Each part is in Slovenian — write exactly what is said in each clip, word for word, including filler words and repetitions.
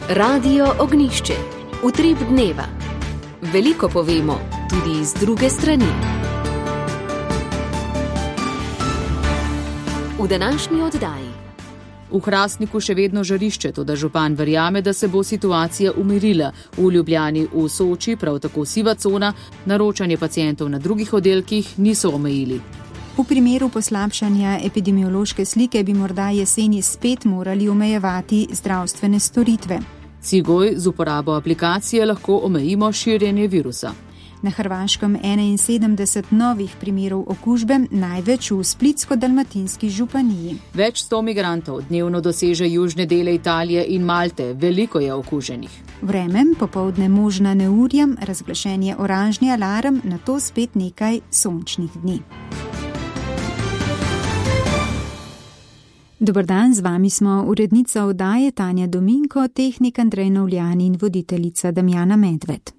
Radio Ognišče. Utrip dneva. Veliko povemo, tudi iz druge strani. V današnji oddaji. V Hrastniku še vedno žarišče, toda župan verjame, da se bo situacija umirila. V Ljubljani, v Soči, prav tako siva cona, naročanje pacientov na drugih oddelkih niso omejili. V primeru poslabšanja epidemiološke slike bi morda jeseni spet morali omejevati zdravstvene storitve. Cigoj z uporabo aplikacije lahko omejimo širjenje virusa. Na Hrvaškem enainsedemdeset novih primerov okužbe, največ v Splitsko-dalmatinski županiji. Več sto migrantov dnevno doseže južne dele Italije in Malte, veliko je okuženih. Vreme, popoldne možna neurja, razglašen je oranžni alarm, nato spet nekaj sončnih dni. Dober dan, z vami smo urednica oddaje Tanja Dominko, tehnik Andrej Novljan in voditeljica Damjana Medved.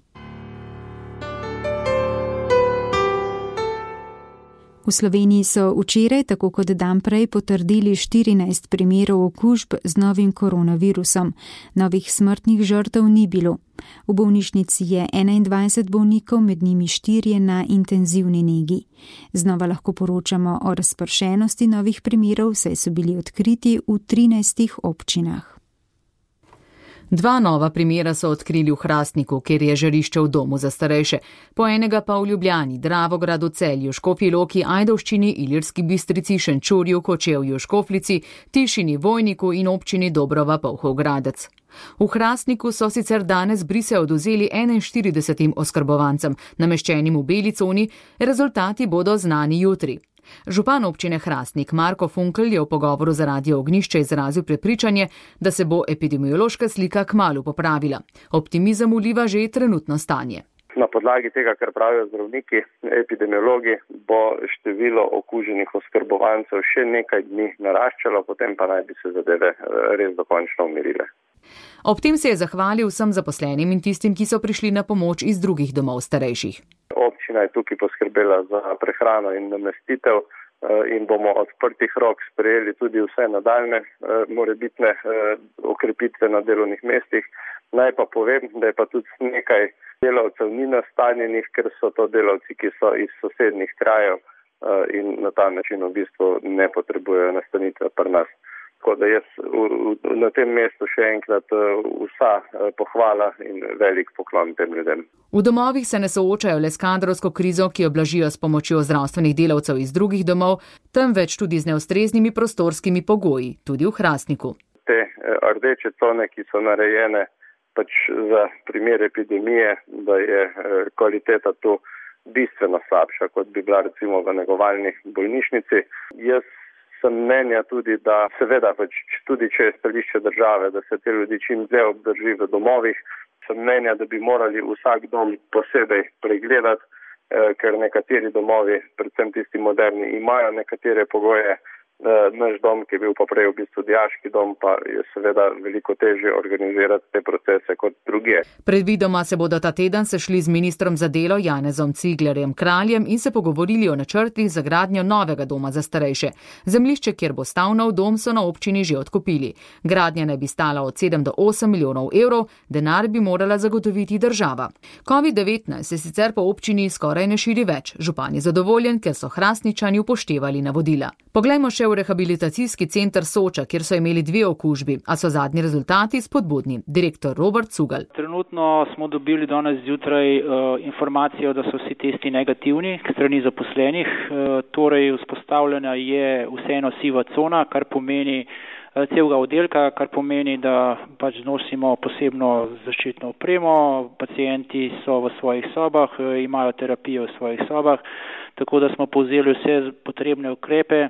V Sloveniji so včeraj, tako kot dan prej, potrdili štirinajst primerov okužb z novim koronavirusom. Novih smrtnih žrtev ni bilo. V bolnišnici je enaindvajset bolnikov, med njimi štirje na intenzivni negi. Znova lahko poročamo o razpršenosti novih primerov, saj so bili odkriti v trinajstih občinah. Dva nova primera so odkrili v Hrastniku, kjer je žarišče v domu za starejše, po enega pa v Ljubljani, Dravogradu, Celju, Škofji Loki, Ajdovščini, Ilirski Bistrici, Šenčurju, Kočevju, Škoflici, Tišini, Vojniku in občini Dobrova, Polhov Gradec. V Hrastniku so sicer danes brise odvzeli enainštiridesetim oskrbovancem, nameščenim v beli coni, rezultati bodo znani jutri. Župan občine Hrastnik Marko Funkel je v pogovoru za Radio Ognišče izrazil prepričanje, da se bo epidemiološka slika kmalu popravila. Optimizem vliva že trenutno stanje. Na podlagi tega, kar pravijo zdravniki, epidemiologi, bo število okuženih oskrbovancev še nekaj dni naraščalo, potem pa naj bi se zadeve res dokončno umirile. Ob tem se je zahvalil vsem zaposlenim in tistim, ki so prišli na pomoč iz drugih domov starejših. Občina je tukaj poskrbela za prehrano in namestitev in bomo odprtih rok sprejeli tudi vse nadaljne morebitne okrepitve na delovnih mestih. Naj pa povem, da je pa tudi nekaj delavcev ni nastanjenih, ker so to delavci, ki so iz sosednjih krajev in na ta način v bistvu ne potrebujejo nastanitve pri nas. Tako da jaz na tem mestu še enkrat vsa pohvala in velik poklon tem ljudem. V domovih se ne soočajo le s kadrovsko krizo, ki jo blažijo s pomočjo zdravstvenih delavcev iz drugih domov, temveč tudi z neustreznimi prostorskimi pogoji, tudi v Hrastniku. Te rdeče cone, ki so narejene pač za primer epidemije, da je kvaliteta tu bistveno slabša, kot bi bila recimo v negovalni bolnišnici. Jaz sem mnenja tudi, da seveda pač tudi če je stališče države, da se te ljudi čim dlje obdrži v domovih, sem mnenja, da bi morali vsak dom posebej pregledati, ker nekateri domovi, predvsem tisti moderni, imajo nekatere pogoje. Naš dom, ki je bil pa prej v bistvu dijaški dom, pa je seveda veliko težje organizirati te procese kot drugje. Predvidoma se bodo ta teden sešli z ministrom za delo Janezom Ciglerjem Kraljem in se pogovorili o načrtih za gradnjo novega doma za starejše. Zemljišče, kjer bo stal nov dom, so na občini že odkupili. Gradnja naj bi stala od sedem do osem milijonov evrov, denar bi morala zagotoviti država. covid devetnajst se sicer po občini skoraj ne širi več. Župan je zadovoljen, ker so Hrastničani upoštevali navodila. Poglejmo še v rehabilitacijski center Soča, kjer so imeli dve okužbi, a so zadnji rezultati spodbudni. Direktor Robert Cugelj. Trenutno smo dobili danes zjutraj uh, informacijo, da so vsi testi negativni k strani zaposlenih. Uh, torej vzpostavljena je vseeno siva cona, kar pomeni uh, celega oddelka, kar pomeni, da pač nosimo posebno zaščitno opremo, pacienti so v svojih sobah, uh, imajo terapijo v svojih sobah, tako da smo povzeli vse potrebne ukrepe,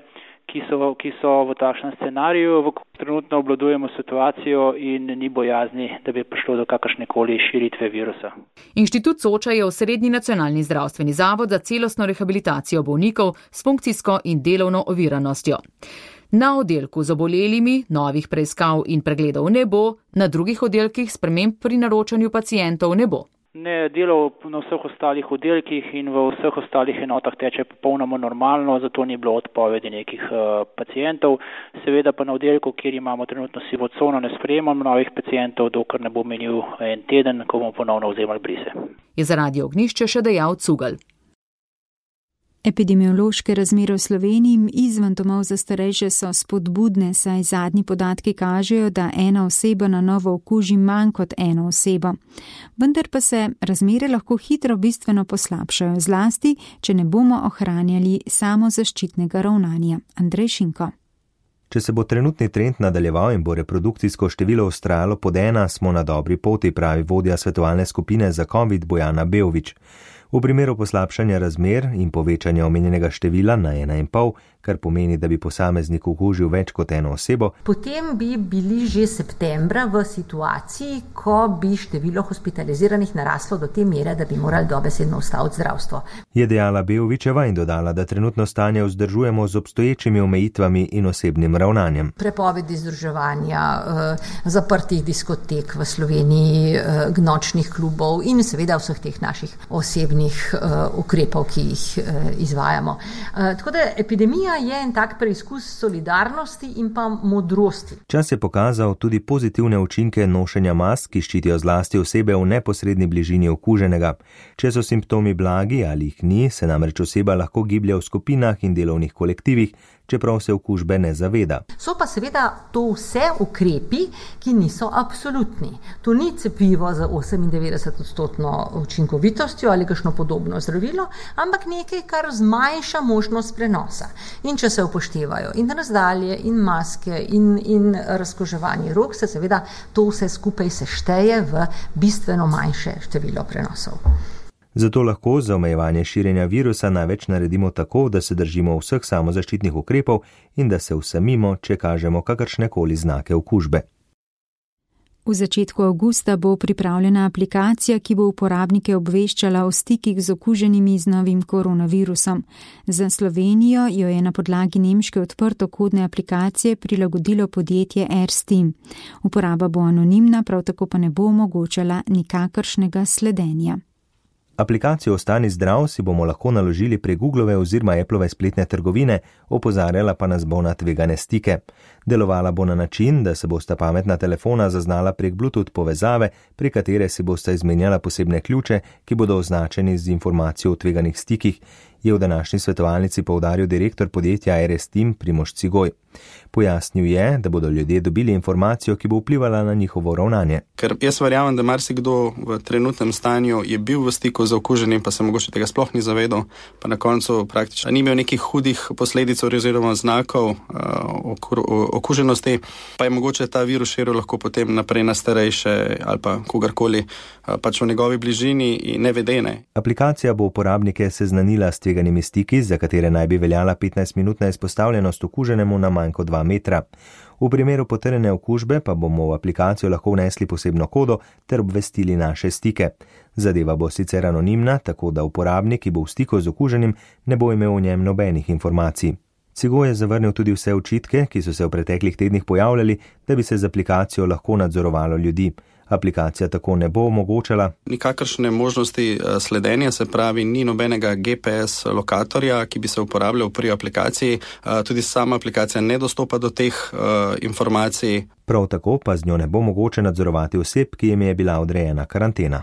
Ki so, ki so v takšnem scenariju. Trenutno obvladujemo situacijo in ni bojazni, da bi prišlo do kakršnekoli širitve virusa. Inštitut Soča je osrednji nacionalni zdravstveni zavod za celostno rehabilitacijo bolnikov s funkcijsko in delovno oviranostjo. Na oddelku z obolelimi novih preiskav in pregledov ne bo, na drugih oddelkih sprememb pri naročanju pacientov ne bo. Ne, delo na vseh ostalih oddelkih in v vseh ostalih enotah teče popolnoma normalno, zato ni bilo odpovedi nekih uh, pacijentov. Seveda pa na oddelku, kjer imamo trenutno sivo cono, ne sprejemamo novih pacijentov, dokler ne bo menil en teden, ko bomo ponovno vzemali brise. Je za Radio Ognjišče še dejal Cugelj. Epidemiološke razmere v Sloveniji izven domov za starejše so spodbudne, saj zadnji podatki kažejo, da ena oseba na novo okuži manj kot eno osebo. Vendar pa se razmere lahko hitro bistveno poslabšajo, zlasti, če ne bomo ohranjali samozaščitnega ravnanja. Andrej Šinko. Če se bo trenutni trend nadaljeval in bo reprodukcijsko število vztrajalo pod ena, smo na dobri poti, pravi vodja svetovalne skupine za COVID Bojana Beović. V primeru poslabšanja razmer in povečanja omenjenega števila na ena in pol, kar pomeni, da bi posameznik okužil več kot eno osebo, potem bi bili že septembra v situaciji, ko bi število hospitaliziranih naraslo do te mere, da bi morali dobesedno ustaviti zdravstvo. Je dejala Beovićeva in dodala, da trenutno stanje vzdržujemo z obstoječimi omejitvami in osebnim ravnanjem. Prepovedi združevanja, zaprtih diskotek v Sloveniji, nočnih klubov in seveda vseh teh naših osebnih ukrepov, ki jih izvajamo. Tako da epidemija je en tak preizkus solidarnosti in pa modrosti. Čas je pokazal tudi pozitivne učinke nošenja mask, ki ščitijo zlasti osebe v neposredni bližini okuženega. Če so simptomi blagi ali jih ni, se namreč oseba lahko giblje v skupinah in delovnih kolektivih, čeprav se okužbe ne zaveda. So pa seveda to vse ukrepi, ki niso absolutni. To ni cepivo za osemindevetdeset odstotno učinkovitostjo ali kakšno podobno zdravilo, ampak nekaj, kar zmanjša možnost prenosa. In če se upoštevajo in razdalje, in maske, in, in razkoževanje rok, se seveda to vse skupaj sešteje v bistveno manjše število prenosov. Zato lahko za omejevanje širjenja virusa največ naredimo tako, da se držimo vseh samozaščitnih ukrepov in da se usamimo, če kažemo kakršnekoli znake okužbe. V začetku avgusta bo pripravljena aplikacija, ki bo uporabnike obveščala o stikih z okuženimi z novim koronavirusom. Za Slovenijo jo je na podlagi nemške odprtokodne aplikacije prilagodilo podjetje AirSteam. Uporaba bo anonimna, prav tako pa ne bo omogočala nikakršnega sledenja. Aplikacijo Ostani zdrav si bomo lahko naložili prek Googlove oziroma Applove spletne trgovine, opozarjala pa nas bo na tvegane stike. Delovala bo na način, da se bosta pametna telefona zaznala prek Bluetooth povezave, prek katere si bosta izmenjala posebne ključe, ki bodo označeni z informacijo o tveganih stikih, je v današnji svetovalnici poudaril direktor podjetja AirSteam Primož Cigoj. Pojasnil je, da bodo ljudje dobili informacijo, ki bo vplivala na njihovo ravnanje. Ker jaz verjamem, da marsikdo v trenutnem stanju je bil v stiku z okuženim, pa se mogoče tega sploh ni zavedal, pa na koncu praktično ni imel nekih hudih posledic oziroma znakov uh, okuženosti, pa je mogoče ta virus širil lahko potem naprej na starejše ali pa kogarkoli uh, pač v njegovi bližini in nevedene. Aplikacija bo uporabnike seznanila s tveganimi stiki, za katere naj bi veljala petnajstminutna izpostavljenost okuženemu na manj kot dva metra. V primeru potrjene okužbe pa bomo v aplikacijo lahko vnesli posebno kodo ter obvestili naše stike. Zadeva bo sicer anonimna, tako da uporabnik, ki bo v stiku z okuženim, ne bo imel v njem nobenih informacij. Cigoj je zavrnil tudi vse očitke, ki so se v preteklih tednih pojavljali, da bi se z aplikacijo lahko nadzorovalo ljudi. Aplikacija tako ne bo omogočala nikakršne možnosti sledenja, se pravi, ni nobenega G P S lokatorja, ki bi se uporabljal pri aplikaciji. Tudi sama aplikacija ne dostopa do teh uh, informacij. Prav tako pa z njo ne bo mogoče nadzorovati oseb, ki jim je bila odrejena karantena.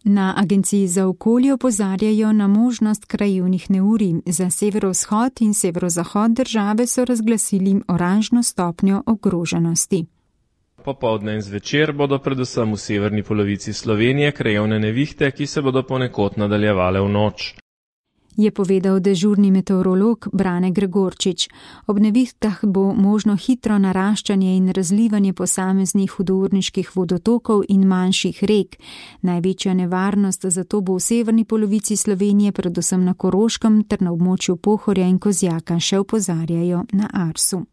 Na Agenciji za okolje opozarjajo na možnost krajevnih neurij. Za severovzhod in severozahod države so razglasili oranžno stopnjo ogroženosti. Popoldne in zvečer bodo predvsem v severni polovici Slovenije krajevne nevihte, ki se bodo ponekod nadaljevale v noč. Je povedal dežurni meteorolog Brane Gregorčič. Ob nevihtah bo možno hitro naraščanje in razlivanje posameznih hudourniških vodotokov in manjših rek. Največja nevarnost zato bo v severni polovici Slovenije, predvsem na Koroškem ter na območju Pohorja in Kozjaka, še opozarjajo na Arsu.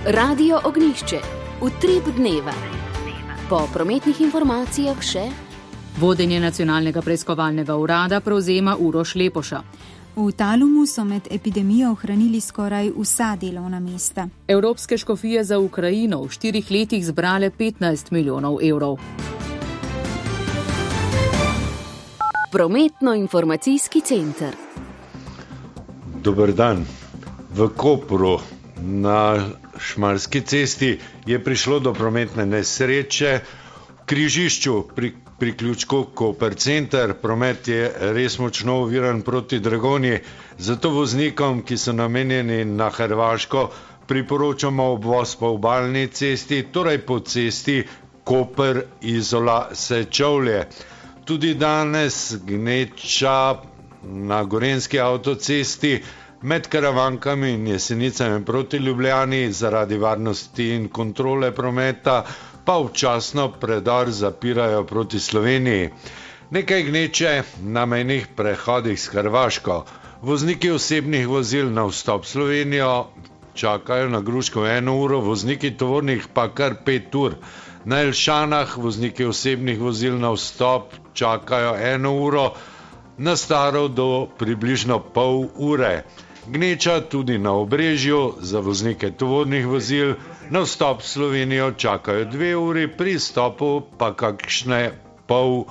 Radio Ognjišče, utrip dneva. Po prometnih informacijah še... Vodenje Nacionalnega preiskovalnega urada prevzema Uroš Lepoša. V Talumu so med epidemijo ohranili skoraj vsa delovna mesta. Evropske škofije za Ukrajino v štirih letih zbrale petnajst milijonov evrov. Prometno-informacijski center. Dober dan. V Kopru na Šmarski cesti je prišlo do prometne nesreče. V križišču pri priključku Koper center promet je res močno oviran proti Dragonji, zato voznikom, ki so namenjeni na Hrvaško, priporočamo obvoz po obalni cesti, torej po cesti Koper Izola Sečovlje. Tudi danes gneča na Gorenjski avtocesti med Karavankami in Jesenicami proti Ljubljani zaradi varnosti in kontrole prometa pa včasno predor zapirajo proti Sloveniji. Nekaj gneče na mejnih prehodih s Hrvaško. Vozniki osebnih vozil na vstop v Slovenijo čakajo na Gruško eno uro, vozniki tovornih pa kar pet ur. Na Elšanah vozniki osebnih vozil na vstop čakajo eno uro, na Staro do približno pol ure. Gneča tudi na Obrežju, za voznike tovornih vozil na vstop v Slovenijo čakajo dve uri, pri stopu pa kakšne pol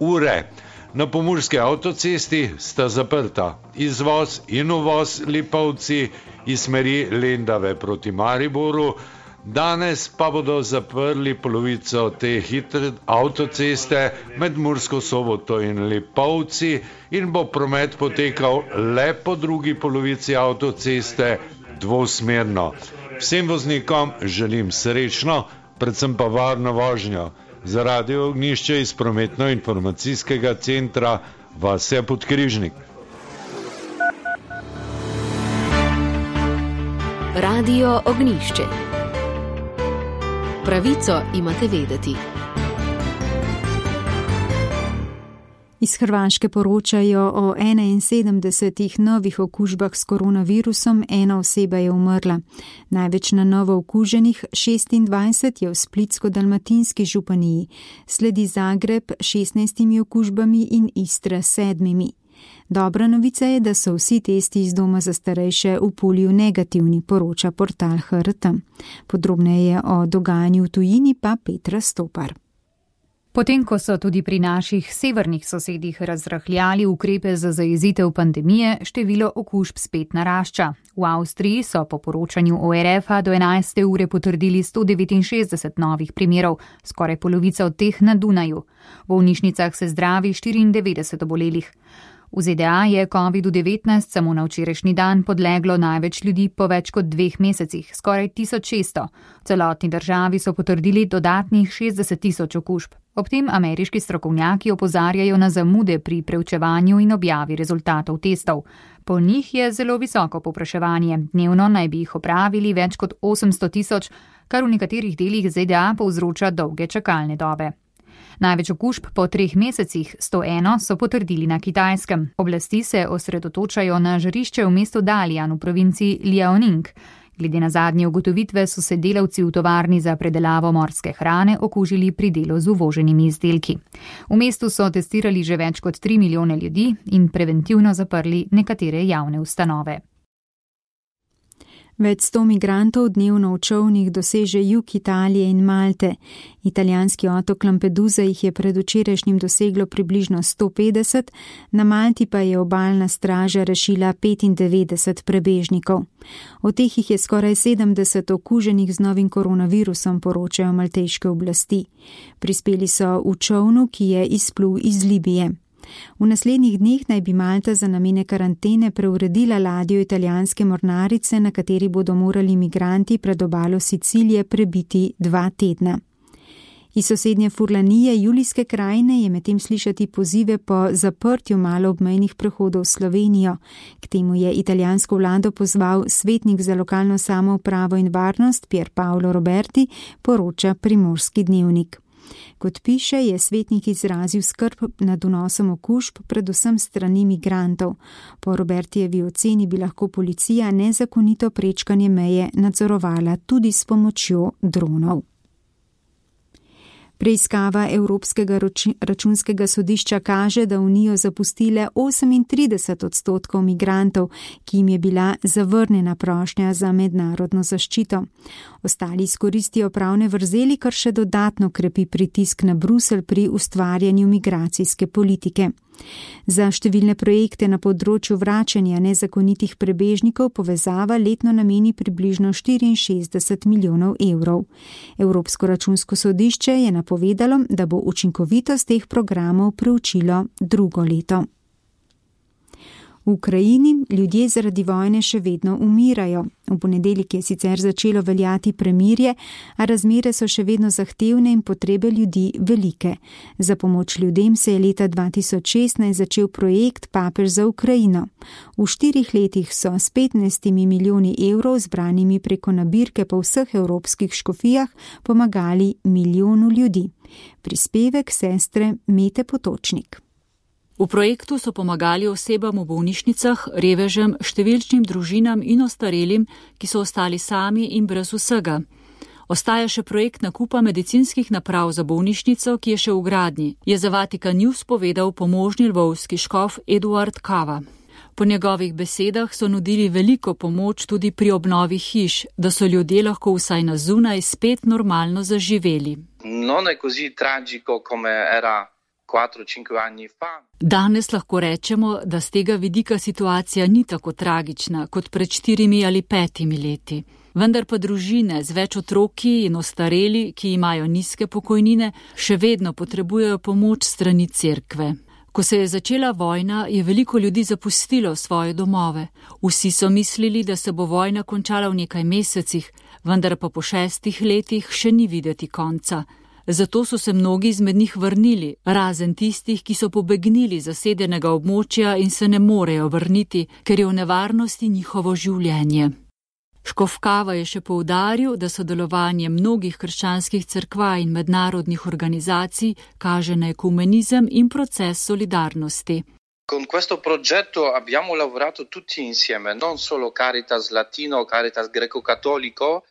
ure. Na Pomurski avtocesti sta zaprta izvoz in uvoz Lipovci iz smeri Lendave proti Mariboru. Danes pa bodo zaprli polovico te hitre avtoceste med Mursko Soboto in Lipovci in bo promet potekal le po drugi polovici avtoceste dvosmerno. Vsem voznikom želim srečno, predvsem pa varno vožnjo. Za Radio Ognjišče iz prometno-informacijskega centra Vasja Podkrižnik. Radio Ognjišče. Pravico imate vedeti. Iz Hrvaške poročajo o enainsedemdesetih novih okužbah s koronavirusom, ena oseba je umrla. Največ na novo okuženih, šestindvajset, je v Splitsko-dalmatinski županiji, sledi Zagreb s šestnajstimi okužbami in Istra s sedmimi. Dobra novica je, da so vsi testi iz doma za starejše v polju negativni, poroča portal H R T. Podrobneje o dogajanju v tujini pa Petra Stopar. Potem, ko so tudi pri naših severnih sosedih razrahljali ukrepe za zajezitev pandemije, število okužb spet narašča. V Avstriji so po poročanju O R F-a do enajste ure potrdili sto devetinšestdeset novih primerov, skoraj polovica od teh na Dunaju. V bolnišnicah se zdravi štiriindevetdeset obolelih. V Z D A je kovidu devetnajst samo na včerajšnji dan podleglo največ ljudi po več kot dveh mesecih, skoraj tisoč šeststo. V celotni državi so potrdili dodatnih šestdeset tisoč okužb. Ob tem ameriški strokovnjaki opozarjajo na zamude pri preučevanju in objavi rezultatov testov. Po njih je zelo visoko povpraševanje. Dnevno naj bi jih opravili več kot osemsto tisoč, kar v nekaterih delih Z D A povzroča dolge čakalne dobe. Največ okužb po treh mesecih, sto eno, so potrdili na Kitajskem. Oblasti se osredotočajo na žarišče v mestu Dalian v provinciji Liaoning. Glede na zadnje ugotovitve so se delavci v tovarni za predelavo morske hrane okužili pri delu z uvoženimi izdelki. V mestu so testirali že več kot tri milijone ljudi in preventivno zaprli nekatere javne ustanove. Več sto migrantov dnevno v čolnih doseže jug Italije in Malte. Italijanski otok Lampedusa jih je predvčerajšnjim doseglo približno sto petdeset, na Malti pa je obalna straža rešila petindevetdeset prebežnikov. Od teh jih je skoraj sedemdeset okuženih z novim koronavirusom, poročajo malteške oblasti. Prispeli so v čolnu, ki je izplul iz Libije. V naslednjih dneh naj bi Malta za namene karantene preuredila ladjo italijanske mornarice, na kateri bodo morali migranti pred obalo Sicilije prebiti dva tedna. Iz sosednje Furlanije, Julijske krajine, je medtem slišati pozive po zaprtju maloobmejnih prehodov v Slovenijo. K temu je italijansko vlado pozval svetnik za lokalno samoupravo in varnost Pier Paolo Roberti, poroča Primorski dnevnik. Kot piše, je svetnik izrazil skrb nad vnosom okužb, predvsem strani migrantov. Po Robertijevi oceni bi lahko policija nezakonito prečkanje meje nadzorovala tudi s pomočjo dronov. Preiskava Evropskega računskega sodišča kaže, da Unijo zapustile osemintrideset odstotkov migrantov, ki jim je bila zavrnjena prošnja za mednarodno zaščito. Ostali izkoristijo pravne vrzeli, kar še dodatno krepi pritisk na Bruselj pri ustvarjanju migracijske politike. Za številne projekte na področju vračanja nezakonitih prebežnikov povezava letno nameni približno štiriinšestdeset milijonov evrov. Evropsko računsko sodišče je napovedalo, da bo učinkovitost teh programov preučilo drugo leto. V Ukrajini ljudje zaradi vojne še vedno umirajo. V ponedeljek je sicer začelo veljati premirje, a razmere so še vedno zahtevne in potrebe ljudi velike. Za pomoč ljudem se je leta dva tisoč šestnajst začel projekt Papež za Ukrajino. V štirih letih so s petnajstimi milijoni evrov zbranimi preko nabirke po vseh evropskih škofijah pomagali milijonu ljudi. Prispevek sestre Mete Potočnik. V projektu so pomagali osebam v bolnišnicah, revežem, številčnim družinam in ostarelim, ki so ostali sami in brez vsega. Ostaja še projekt nakupa medicinskih naprav za bolnišnico, ki je še v gradnji, je za Vatikan News povedal pomožni lvovski škof Eduard Kava. Po njegovih besedah so nudili veliko pomoč tudi pri obnovi hiš, da so ljudje lahko vsaj na zunaj spet normalno zaživeli. Non è così tragico come era quattro cinque anni fa. Danes lahko rečemo, da z tega vidika situacija ni tako tragična kot pred štirimi ali petimi leti. Vendar pa družine z več otroki in ostareli, ki imajo nizke pokojnine, še vedno potrebujejo pomoč strani cerkve. Ko se je začela vojna, je veliko ljudi zapustilo svoje domove. Vsi so mislili, da se bo vojna končala v nekaj mesecih, vendar pa po šestih letih še ni videti konca. Zato so se mnogi izmed njih vrnili, razen tistih, ki so pobegnili z zasedenega območja in se ne morejo vrniti, ker je v nevarnosti njihovo življenje. Škof Kava je še poudaril, da sodelovanje mnogih krščanskih cerkva in mednarodnih organizacij kaže na ekumenizem in proces solidarnosti. Con questo progetto abbiamo lavorato tutti insieme, non solo Caritas Latino, Caritas Greco-Cattolico.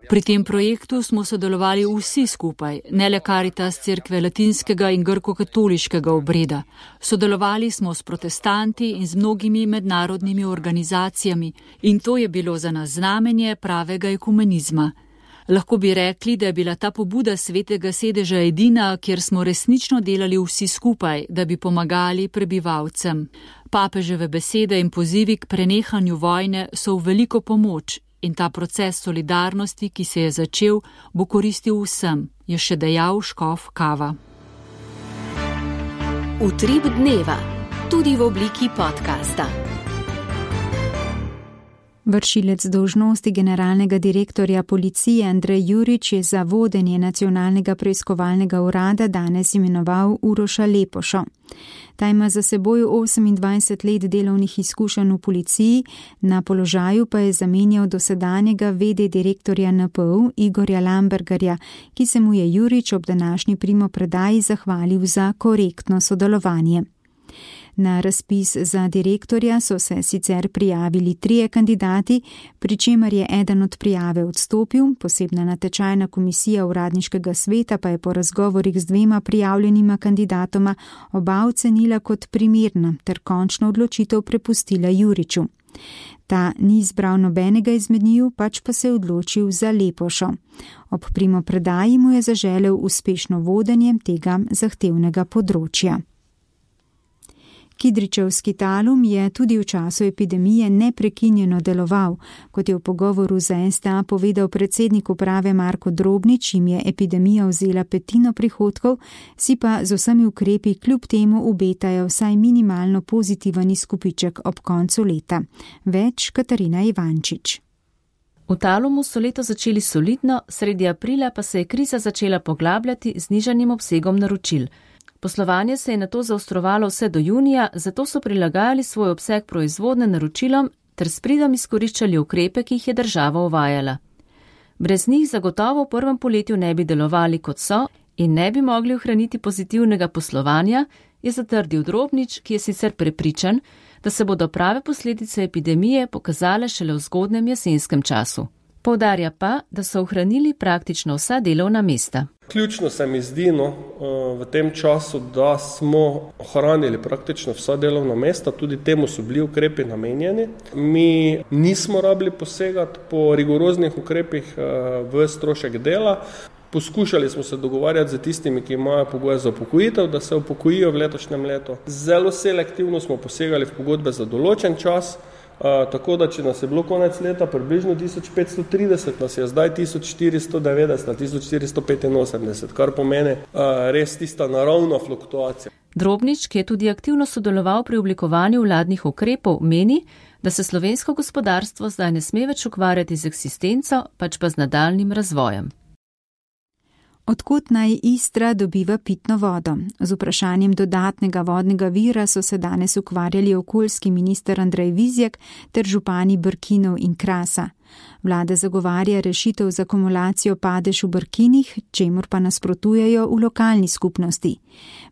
Pri tem projektu smo sodelovali vsi skupaj, ne le Caritas cerkve latinskega in grko-katoliškega obreda. Sodelovali smo s protestanti in z mnogimi mednarodnimi organizacijami in to je bilo za nas znamenje pravega ekumenizma. Lahko bi rekli, da je bila ta pobuda Svetega sedeža edina, kjer smo resnično delali vsi skupaj, da bi pomagali prebivalcem. Papeževe besede in pozivi k prenehanju vojne so v veliko pomoč. In ta proces solidarnosti, ki se je začel, bo koristil vsem, je še dejal škof Kava. Utrip dneva, tudi v obliki podcasta. Vršilec dolžnosti generalnega direktorja policije Andrej Jurič je za vodenje nacionalnega preiskovalnega urada danes imenoval Uroša Lepošo. Ta ima za seboj osemindvajset let delovnih izkušenj v policiji, na položaju pa je zamenjal dosedanjega vede direktorja N P U Igorja Lambergarja, ki se mu je Jurič ob današnji primopredaji zahvalil za korektno sodelovanje. Na razpis za direktorja so se sicer prijavili trije kandidati, pri čemer je eden od prijave odstopil, posebna natečajna komisija uradniškega sveta pa je po razgovorih z dvema prijavljenima kandidatoma oba ocenila kot primerna ter končno odločitev prepustila Juriču. Ta ni izbral nobenega izmed njiju, pač pa se je odločil za Lepošo. Ob primopredaji mu je zaželel uspešno vodenje tega zahtevnega področja. Kidričevski Talum je tudi v času epidemije neprekinjeno deloval, kot je v pogovoru za S T A povedal predsednik uprave Marko Drobnič, jim je epidemija vzela petino prihodkov, si pa z vsemi ukrepi kljub temu obetajo vsaj minimalno pozitiven izkupiček ob koncu leta. Več Katarina Ivančič. V Talumu so leto začeli solidno, sredi aprila pa se je kriza začela poglabljati z nižanim obsegom naročil. Poslovanje se je nato zaostrovalo vse do junija, zato so prilagajali svoj obseg proizvodne naročilom ter s pridom izkoriščali ukrepe, ki jih je država uvajala. Brez njih zagotovo v prvem poletju ne bi delovali kot so in ne bi mogli ohraniti pozitivnega poslovanja, je zatrdil Drobnič, ki je sicer prepričan, da se bodo prave posledice epidemije pokazale šele v zgodnjem jesenskem času. Poudarja pa, da so ohranili praktično vsa delovna mesta. Ključno se mi zdi no, v tem času, da smo ohranili praktično vsa delovna mesta, tudi temu so bili ukrepi namenjeni. Mi nismo rabili posegati po rigoroznih ukrepih v strošek dela. Poskušali smo se dogovarjati z tistimi, ki imajo pogoje za upokojitev, da se upokojijo v letošnjem letu. Zelo selektivno smo posegali v pogodbe za določen čas, uh, tako da če nas je bilo konec leta približno tisoč petsto trideset, nas je zdaj tisoč štiristo devetdeset, tisoč štiristo petinosemdeset, kar pomeni uh, res tista naravna fluktuacija. Drobnič, ki je tudi aktivno sodeloval pri oblikovanju vladnih ukrepov, meni, da se slovensko gospodarstvo zdaj ne sme več ukvarjati z eksistenco, pač pa z nadaljnim razvojem. Odkud naj Istra dobiva pitno vodo? Z vprašanjem dodatnega vodnega vira so se danes ukvarjali okoljski minister Andrej Vizjak ter župani Brkinov in Krasa. Vlada zagovarja rešitev za akumulacijo padež v Brkinih, čemur pa nasprotujejo v lokalni skupnosti.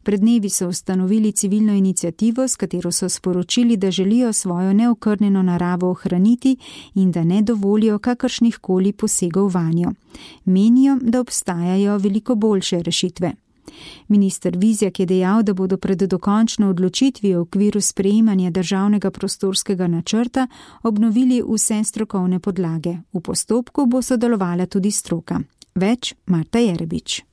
Pred dnevi so ustanovili civilno inicijativo, s katero so sporočili, da želijo svojo neokrnjeno naravo ohraniti in da ne dovolijo kakršnih koli posegov vanjo. Menijo, da obstajajo veliko boljše rešitve. Minister Vizjak je dejal, da bodo pred dokončno odločitvijo v okviru sprejemanja državnega prostorskega načrta obnovili vse strokovne podlage. V postopku bo sodelovala tudi stroka. Več Marta Jerebič.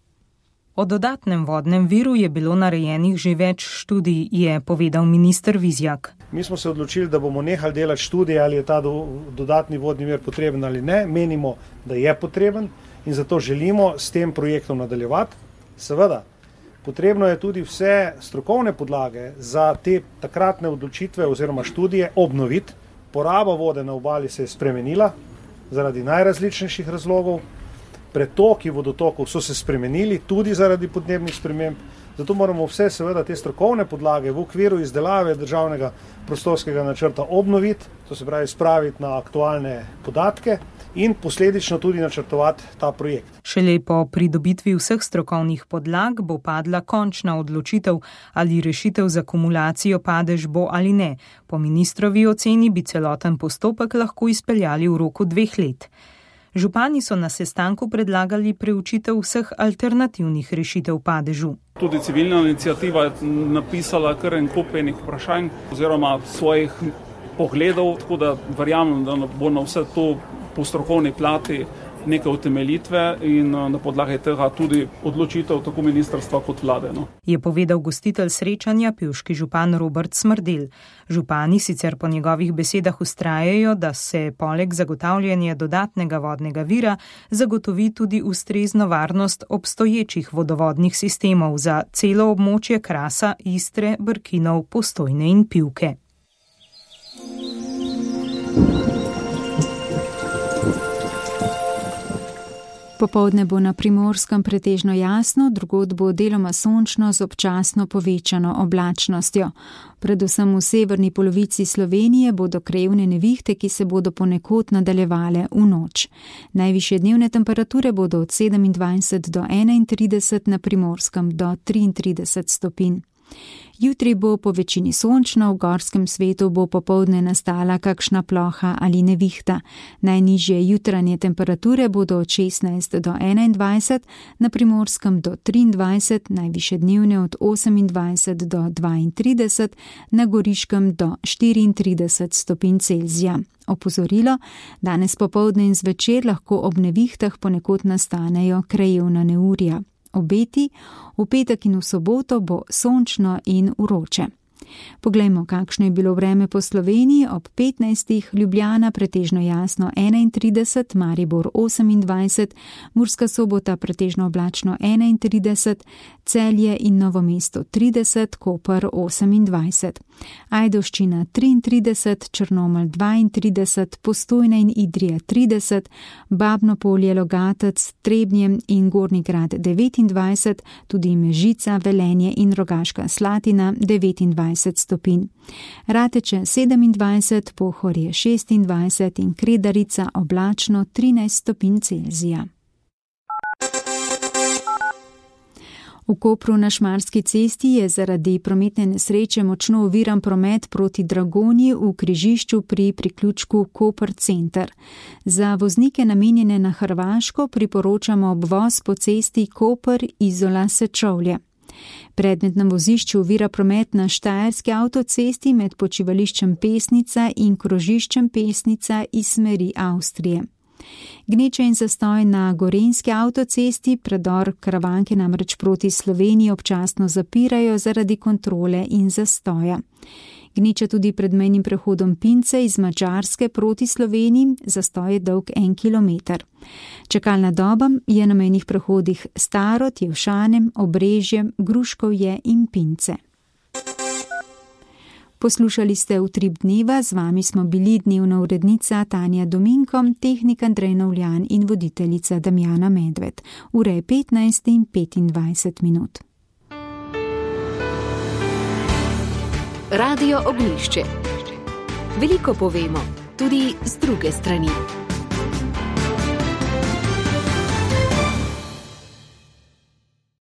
O dodatnem vodnem viru je bilo narejenih že več študij, je povedal minister Vizjak. Mi smo se odločili, da bomo nehali delati študije, ali je ta do, dodatni vodni vir potreben ali ne. Menimo, da je potreben in zato želimo s tem projektom nadaljevati. Seveda, potrebno je tudi vse strokovne podlage za te takratne odločitve oziroma študije obnoviti. Poraba vode na obali se je spremenila zaradi najrazličnejših razlogov. Pretoki vodotokov so se spremenili tudi zaradi podnebnih sprememb. Zato moramo vse seveda te strokovne podlage v okviru izdelave državnega prostorskega načrta obnoviti, to se pravi spraviti na aktualne podatke in posledično tudi načrtovati ta projekt. Šele po pridobitvi vseh strokovnih podlag bo padla končna odločitev, ali rešitev za akumulacijo padež bo ali ne. Po ministrovi oceni bi celoten postopek lahko izpeljali v roku dveh let. Župani so na sestanku predlagali preučitev vseh alternativnih rešitev padežu. Tudi civilna inicijativa je napisala kar en kup enih vprašanj oziroma svojih pogledov, tako da verjamem, da bo na vse to po strokovni plati neke utemeljitve in na podlagi tega tudi odločitev tako ministrstva kot vlade. No. Je povedal gostitelj srečanja, pivški župan Robert Smrdel. Župani sicer po njegovih besedah vztrajajo, da se poleg zagotavljanja dodatnega vodnega vira zagotovi tudi ustrezno varnost obstoječih vodovodnih sistemov za celo območje Krasa, Istre, Brkinov, Postojne in Pivke. Popoldne bo na Primorskem pretežno jasno, drugod bo deloma sončno z občasno povečano oblačnostjo. Predvsem v severni polovici Slovenije bodo krajevne nevihte, ki se bodo ponekod nadaljevale v noč. Najvišje dnevne temperature bodo od sedemindvajset do enaintrideset, na Primorskem do triintrideset stopinj. Jutri bo po večini sončno, v gorskem svetu bo popoldne nastala kakšna ploha ali nevihta. Najnižje jutranje temperature bodo od šestnajst do enaindvajset, na Primorskem do triindvajset, najvišje dnevne od osemindvajset do dvaintrideset, na Goriškem do štiriintrideset stopinj Celzija. Opozorilo, danes popoldne in zvečer lahko ob nevihtah ponekod nastanejo krajevna neurja. Obeti, v petek in v soboto bo sončno in vroče. Poglejmo, kakšno je bilo vreme po Sloveniji. Ob petnajstih Ljubljana pretežno jasno enaintrideset, Maribor osemindvajset, Murska Sobota pretežno oblačno enaintrideset, Celje in Novo mesto trideset, Koper osemindvajset, Ajdovščina triintrideset, Črnomelj dvaintrideset, Postojna in Idrija trideset, Babno Polje, Logatec, Trebnje in Gornji Grad devetindvajset, tudi Mežica, Velenje in Rogaška Slatina devetindvajset stopinj. Rateče sedemindvajset, Pohorje šestindvajset in Kredarica oblačno trinajst stopinj Celzija. V Kopru na Šmarski cesti je zaradi prometne nesreče močno oviran promet proti Dragonji v križišču pri priključku Koper center. Za voznike namenjene na Hrvaško priporočamo obvoz po cesti Koper Izola Sečovlje. Predmet na vozišču ovira promet na Štajerski avtocesti med počivališčem Pesnica in krožiščem Pesnica iz smeri Avstrije. Gneče in zastoj na Gorenjski avtocesti predor Karavanke namreč proti Sloveniji občasno zapirajo zaradi kontrole in zastoja. Gneča tudi pred mejnim prehodom Pince iz Madžarske proti Sloveniji, zastoj je dolg en kilometer. Čakalna doba je na mejnih prehodih Starod, Jevšanem, Obrežje, Gruškovje in Pince. Poslušali ste Utrip dneva, z vami smo bili dnevna urednica Tanja Dominko, tehnik Andrej Novljan in voditeljica Damjana Medved. Ura je petnajst in petindvajset minut. Radio Ognjišče. Veliko povemo, tudi z druge strani.